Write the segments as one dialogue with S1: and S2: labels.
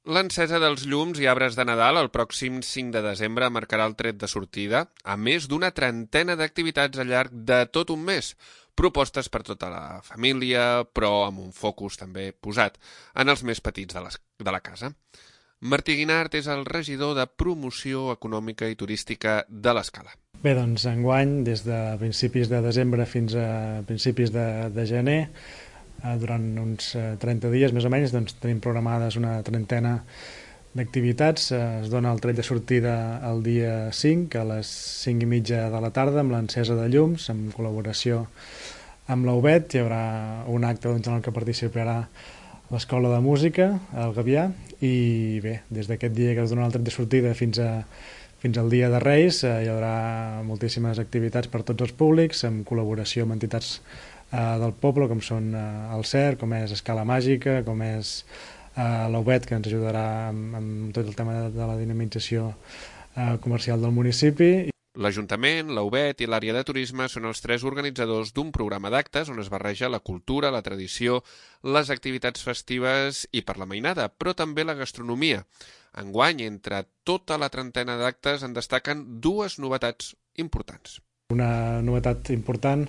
S1: L'encesa dels llums i arbres de Nadal el pròxim 5 de desembre marcarà el tret de sortida, a més d'una trentena d'activitats al llarg de tot un mes, propostes per tota la família, però amb un focus també posat en els més petits de la casa. Martí Guinart és el regidor de Promoció Econòmica i Turística de l'Escala.
S2: Bé, doncs enguany, des de principis de desembre fins a principis de gener, durant uns 30 dies més o menys, doncs tenim programades una trentena d'activitats. Es dona el tret de sortida el dia 5 a les 5:30 de la tarda amb l'encesa de llums, en col·laboració amb la UBET. Hi haurà un acte en el que participarà l'Escola de Música, el Gavià, i bé, des d'aquest dia que es dona el tret de sortida fins al dia de Reis hi haurà moltíssimes activitats per tots els públics, en col·laboració amb entitats del poble, com són el CER, com és Escala Màgica, com és la UBET, que ens ajudarà amb tot el tema de la dinamització comercial del municipi.
S1: L'Ajuntament, la UBET i l'àrea de turisme són els tres organitzadors d'un programa d'actes on es barreja la cultura, la tradició, les activitats festives i per la mainada, però també la gastronomia. Enguany, entre tota la trentena d'actes en destaquen dues novetats importants.
S2: Una novetat important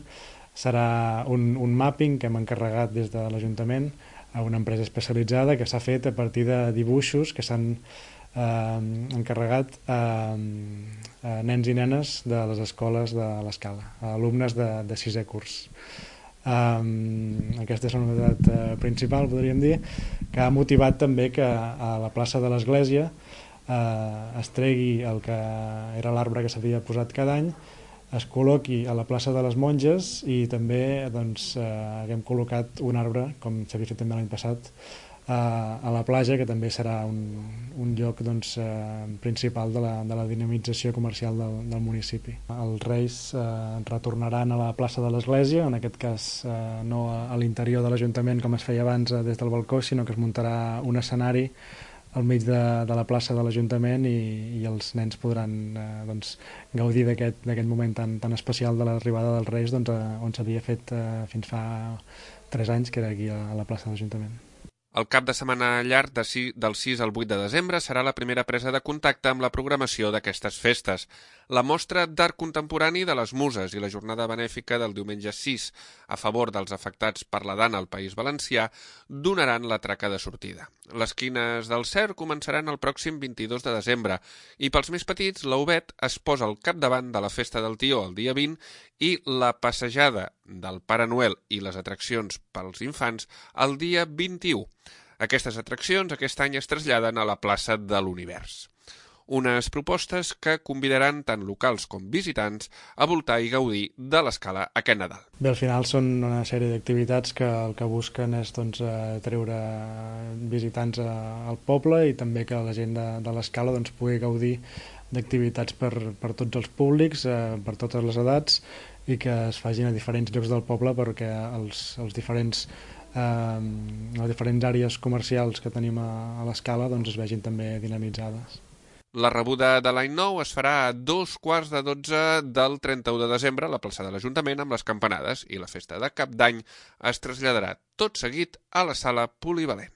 S2: serà un mapping que hem encarregat des de l'Ajuntament a una empresa especialitzada que s'ha fet a partir de dibuixos que s'han encarregat a nens i nenes de les escoles de l'Escala, alumnes de sisè curs. Aquesta és la novetat principal, podríem dir, que ha motivat també que a la plaça de l'Església es tregui el que era l'arbre que s'havia posat cada any, es col·loqui a la plaça de les Monges i també haguem col·locat un arbre, com s'havia fet també l'any passat, a la platja, que també serà un lloc principal de la dinamització comercial del municipi. Els Reis retornaran a la plaça de l'Església, en aquest cas no a l'interior de l'Ajuntament com es feia abans des del balcó, sinó que es muntarà un escenari al mig de la plaça de l'Ajuntament i els nens podran gaudir d'aquest moment tan especial de l'arribada dels Reis on s'havia fet fins fa 3 anys, que era aquí a la plaça de l'Ajuntament.
S1: El cap de setmana llarg del 6 al 8 de desembre serà la primera presa de contacte amb la programació d'aquestes festes. La mostra d'art contemporani de les Muses i la jornada benèfica del diumenge 6 a favor dels afectats per la Dana al País Valencià donaran la traca de sortida. Les quines del CER començaran el pròxim 22 de desembre i pels més petits la UBET es posa al capdavant de la festa del Tió el dia 20 i la passejada del Pare Noel i les atraccions pels infants el dia 21. Aquestes atraccions aquest any es traslladen a la plaça de l'Univers. Unes propostes que convidaran tant locals com visitants a voltar i gaudir de l'Escala aquest Nadal.
S2: Bé, al final són una sèrie d'activitats que el que busquen és treure visitants al poble i també que la gent de l'Escala pugui gaudir d'activitats per tots els públics, per totes les edats, i que es facin a diferents llocs del poble perquè les diferents àrees comercials que tenim a l'Escala es vegin també dinamitzades.
S1: La rebuda de l'any nou es farà a 2:15 del 31 de desembre a la plaça de l'Ajuntament amb les campanades i la festa de Cap d'Any es traslladarà tot seguit a la sala polivalent.